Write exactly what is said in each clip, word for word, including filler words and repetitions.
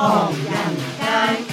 唐人街。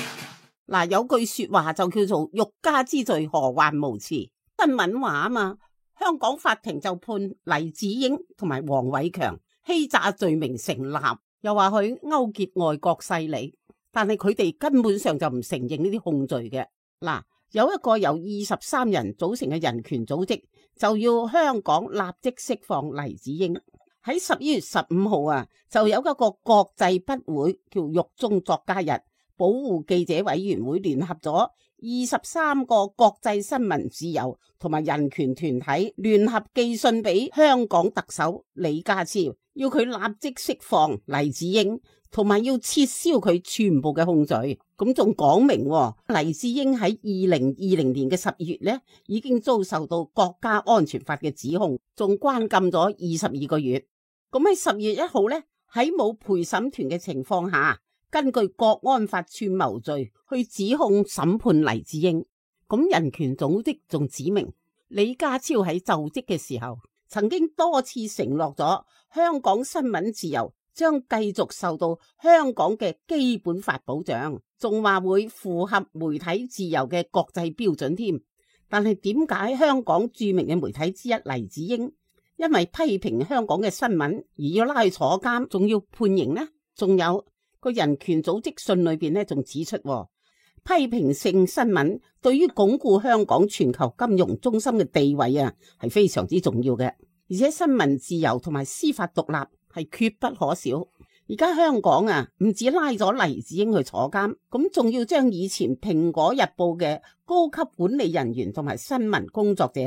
嗱，有句說話就叫做欲加之罪，何患無辭。新聞話啊嘛，香港法庭就判黎智英同埋黃偉強欺詐罪名成立，又話佢勾結外國勢力，但係佢哋根本上就唔承認呢啲控罪嘅。嗱，有一個由二十三人組成嘅人權組織，就要香港立即釋放黎智英。喺十一月十五號啊，就有一個國際筆會叫獄中作家日，保護記者委員會聯合咗二十三個國際新聞自由同埋人權團體，聯合寄信俾香港特首李家超，要佢立即釋放黎智英，同埋要撤銷佢全部嘅控罪。咁仲講明黎智英喺二零二零年嘅十月呢，已經遭受到國家安全法嘅指控，仲關禁咗二十二個月。咁喺十月一號呢，喺冇陪審團嘅情況下，根據國安法串謀罪去指控審判黎智英。咁人權組織仲指明李家超喺就職嘅時候，曾經多次承諾咗香港新聞自由將繼續受到香港嘅基本法保障，仲話會符合媒體自由嘅國際標準添。但係點解香港著名嘅媒體之一黎智英因為批評香港嘅新聞而要拉去坐監，仲要判刑呢？仲有個人權組織信裏邊咧，仲指出批評性新聞對於鞏固香港全球金融中心嘅地位啊，係非常之重要嘅。而且新聞自由同埋司法獨立係決不可少。而家香港啊，唔止拉咗黎智英去坐監，咁仲要將以前蘋果日報嘅高級管理人員同埋新聞工作者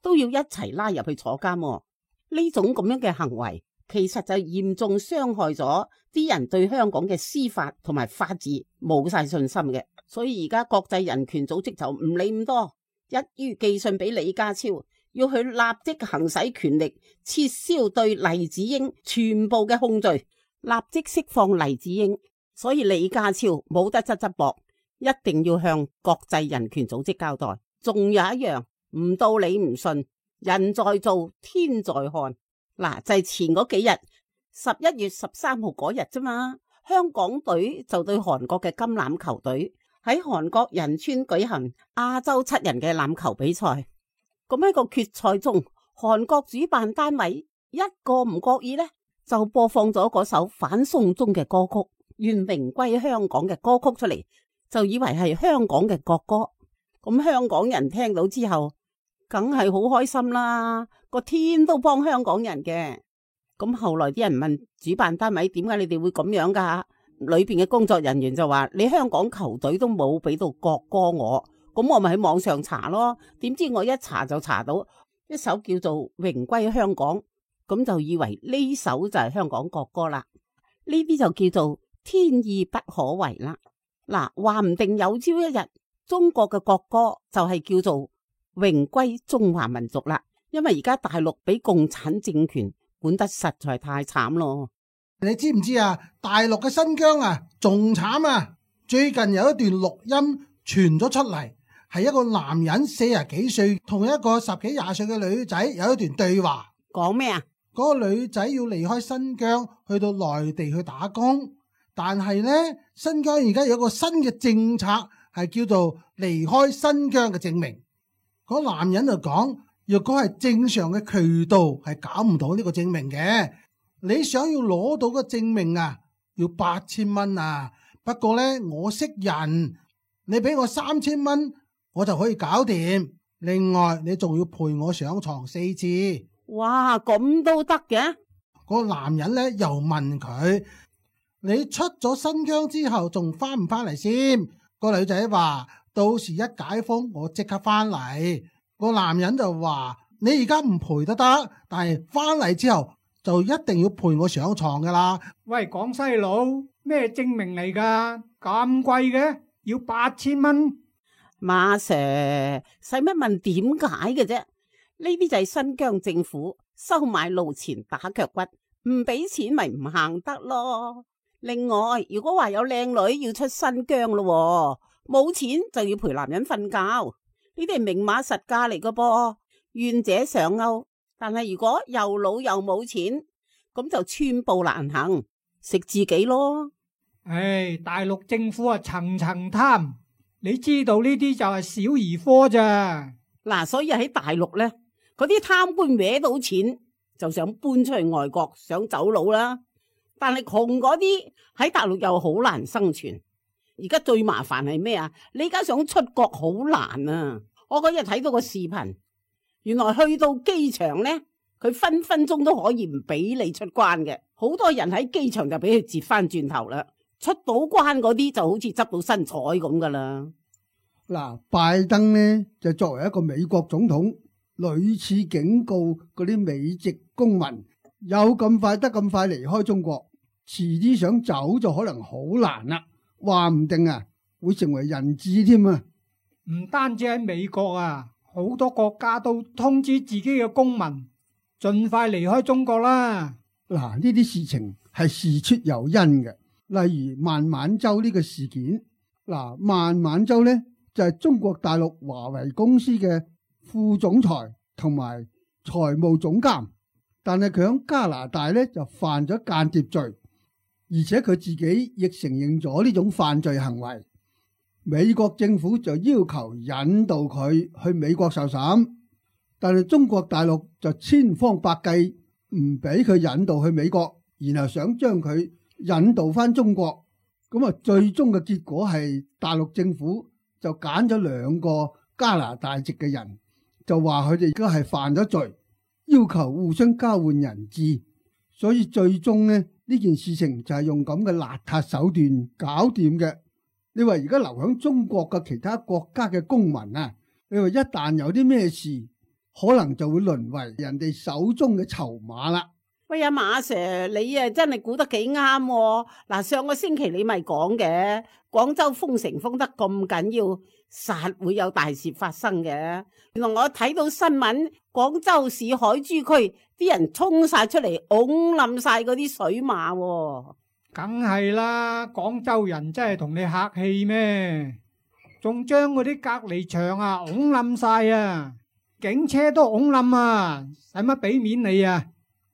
都要一齊拉入去坐監。呢種咁樣嘅行為，其實就嚴重傷害咗啲人對香港嘅司法同埋法治冇晒信心嘅。所以而家國際人權組織就唔理咁多，一於寄信俾李家超，要佢立即行使權力撤銷對黎智英全部嘅控罪，立即釋放黎智英。所以李家超冇得側側膊，一定要向國際人權組織交代。仲有一樣，唔到你唔信，人在做天在看。嗱，就係前嗰幾日，十一月十三號嗰日啫嘛，香港隊就對韓國嘅金欖球隊喺韓國仁川舉行亞洲七人嘅欖球比賽。咁喺個決賽中，韓國主辦單位一個唔覺意呢，就播放咗嗰首反送中嘅歌曲《願榮歸香港》嘅歌曲出嚟，就以為係香港嘅國歌。咁香港人聽到之後，梗係好開心啦，個天都幫香港人嘅。咁後來啲人問主辦單位，點解你哋會咁樣噶？裏邊嘅工作人員就話：你香港球隊都冇俾到國歌我，咁我咪喺網上查咯。點知我一查就查到一首叫做《榮歸香港》，咁就以為呢首就係香港國歌啦。呢啲就叫做天意不可違啦。嗱，話唔定有朝一日中國嘅國歌就係叫做榮歸中華民族啦。因為而家大陸俾共產政權管得實在太慘咯。你知唔知啊？大陸嘅新疆啊，仲慘啊！最近有一段錄音傳咗出嚟，係一個男人四十幾歲同一個十幾廿歲嘅女仔有一段對話。講咩啊？嗰個女仔要離開新疆去到內地去打工，但係呢，新疆而家有一個新嘅政策係叫做離開新疆嘅證明。嗰個男人就講，若果係正常嘅渠道係搞唔到呢個證明嘅。你想要攞到個證明啊，要八千蚊啊。不過呢，我識人，你俾我三千蚊，我就可以搞掂。另外，你仲要陪我上床四次。哇，咁都得嘅？個男人呢又問佢：你出咗新疆之後，仲翻唔翻嚟先？個女仔話：到時一解封，我即刻翻嚟。個男人就話：你而家唔陪都得，但係翻嚟之後，就一定要陪我上床噶啦。喂，廣西佬，咩證明嚟噶？咁貴嘅，要八千蚊。馬 Sir， 使乜問點解嘅啫？呢啲就係新疆政府收買路錢打腳骨，唔俾錢咪唔行得咯。另外，如果話有靚女要出新疆咯，冇錢就要陪男人瞓覺，呢啲係明碼實價嚟噶噃，願者上鈎。但係如果又老又冇錢，咁就寸步難行，食自己咯。唉，大陸政府啊層層貪，你知道呢啲就係小兒科咋。嗱，所以喺大陸呢，嗰啲貪官搲到錢就想搬出去外國，想走佬啦。但係窮嗰啲喺大陸又好難生存。而家最麻煩係咩啊？你而家想出國好難啊！我嗰日睇到個視頻，原來去到機場呢，佢分分鐘都可以唔俾你出關嘅。好多人喺機場就俾佢截翻轉頭啦。出到關嗰啲就好似執到新彩咁噶啦。嗱，拜登呢就作為一個美國總統，屢次警告嗰啲美籍公民，有咁快得咁快離開中國，遲啲想走就可能好難啦。話唔定啊，會成為人質添啊！唔單止喺美國啊，好多國家都通知自己嘅公民盡快離開中國啦。嗱，呢啲事情係事出有因嘅，例如孟晚舟呢個事件。嗱，孟晚舟呢就係中國大陸華為公司嘅副總裁同埋財務總監，但係佢喺加拿大呢就犯咗間諜罪。而且佢自己亦承認咗呢種犯罪行為，美國政府就要求引渡佢去美國受審，但係中國大陸就千方百計唔俾佢引渡去美國，然後想將佢引渡翻中國。咁啊，最終嘅結果係大陸政府就揀咗兩個加拿大籍嘅人，就話佢哋而家係犯咗罪，要求互相交換人質，所以最終呢。呢件事情就係用咁嘅邋遢手段搞掂嘅。你話而家留喺中國嘅其他國家嘅公民啊，你話一旦有啲咩事，可能就會淪為人哋手中嘅籌碼啦。喂，阿馬 Sir， 你啊真係估得幾啱喎。嗱，上個星期你咪講嘅，廣州封城封得咁緊要，實會有大事發生嘅。原來我睇到新聞，廣州市海珠區啲人衝晒出嚟，拱冧晒嗰啲水馬喎。梗係啦，廣州人真係同你客氣咩？仲將嗰啲隔離牆啊拱冧晒啊，警車都拱冧啊，使乜俾面你啊？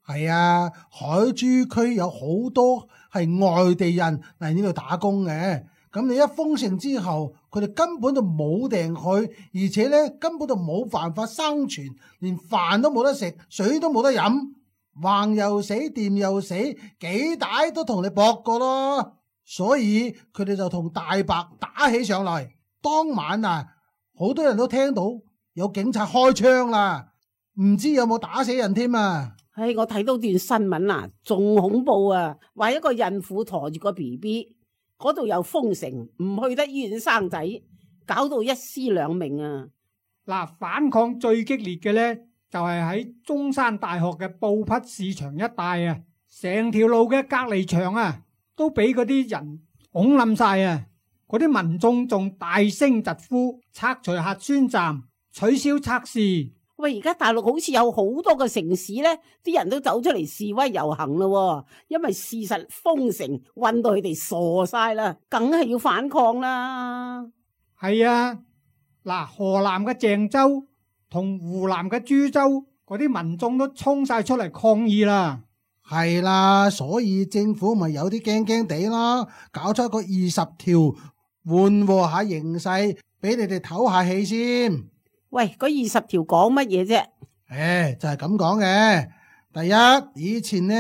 係啊，海珠區有好多係外地人嚟呢度打工嘅，咁你一封城之後，佢哋根本就冇埞去，而且咧根本就冇辦法生存，連飯都冇得食，水都冇得飲，橫又死，掂又死，幾大都同你搏過咯，所以佢哋就同大白打起上嚟。當晚啊，好多人都聽到有警察開槍啦，唔知有冇打死人添啊！唉，我睇到段新聞啊，仲恐怖啊！話一個孕婦馱住個 B B， 嗰度又封城，唔去得醫院生仔，搞到一屍兩命啊！嗱，反抗最激烈嘅呢，就係喺中山大學嘅布匹市場一帶啊，成條路嘅隔離牆啊，都俾嗰啲人拱冧晒啊！嗰啲民眾仲大聲疾呼，拆除核酸站，取消測試。喂，而家大陸好似有好多個城市呢，啲人都走出嚟示威遊行咯，因為事實封城，困到佢哋傻晒啦，梗係要反抗啦。係啊，嗱，河南嘅鄭州同湖南嘅株洲嗰啲民眾都衝晒出嚟抗議啦。係啦，所以政府咪有啲驚驚地咯，搞出一個二十條緩和下形勢，俾你哋唞下氣先。喂，嗰二十條講乜嘢啫？誒，就係咁講嘅。第一，以前呢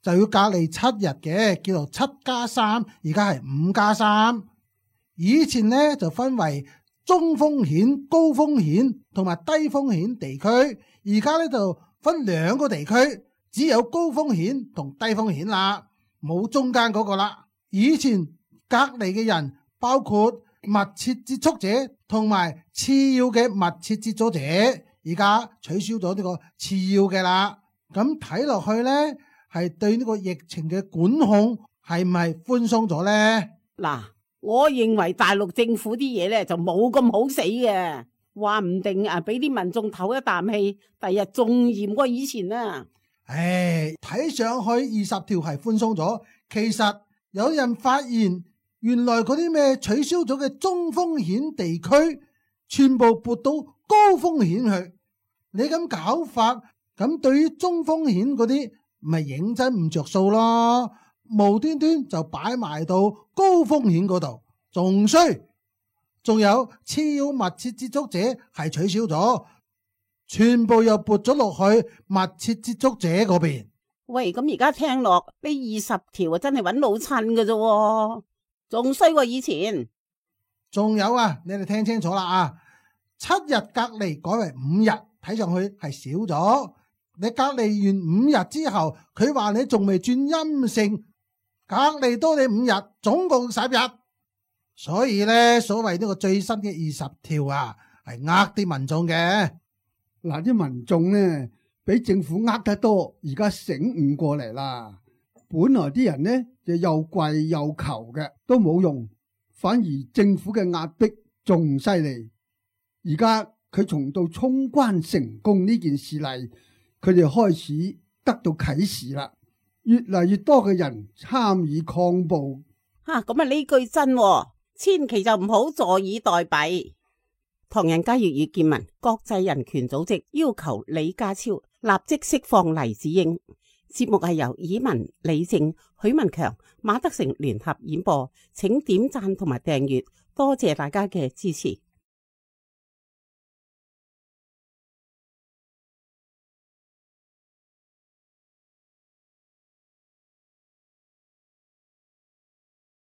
就要隔離七日嘅，叫做七加三，而家係五加三。以前呢就分為中風險、高風險同埋低風險地區，而家呢就分兩個地區，只有高風險同低風險啦，冇中間嗰個啦。以前隔離嘅人包括密切接觸者同埋次要嘅密切接觸者，而家取消咗呢個次要嘅啦。咁睇落去呢，係對呢個疫情嘅管控係唔係寬鬆咗呢？嗱，我認為大陸政府啲嘢呢就冇咁好死嘅，話唔定啊俾啲民眾唞一啖氣，第日仲嚴過以前啊。唉，睇上去二十條係寬鬆咗，其實有人發現。原來嗰啲咩取消咗嘅中風險地區，全部撥到高風險去。你咁搞法，咁對於中風險嗰啲，咪認真唔着數咯。無端端就擺埋到高風險嗰度，仲衰，仲有次要密切接觸者係取消咗，全部又撥咗落去密切接觸者嗰邊。喂，咁而家聽落呢二十條啊，真係揾老襯㗎啫，仲衰過以前。仲有啊，你哋聽清楚啦啊！七日隔離改為五日，睇上去係少咗。你隔離完五日之後，佢話你仲未轉陰性，隔離多你五日，總共十日。所以呢，所謂呢個最新嘅二十條啊，係呃啲民眾嘅。嗱，啲民眾呢，俾政府呃得多，而家醒悟過嚟啦。本來啲人呢就又跪又求嘅，都冇用，反而政府嘅壓迫仲犀利。而家佢從到衝關成功呢件事嚟，佢哋開始得到啟示啦，越嚟越多嘅人參與抗暴。吓，咁啊呢句真喎，千祈就唔好坐以待斃。唐人街粵語見聞，國際人權組織要求李家超立即釋放黎智英。節目係由以文、李正、許文強、馬德成聯合演播，請點讚同埋訂閱，多謝大家嘅支持。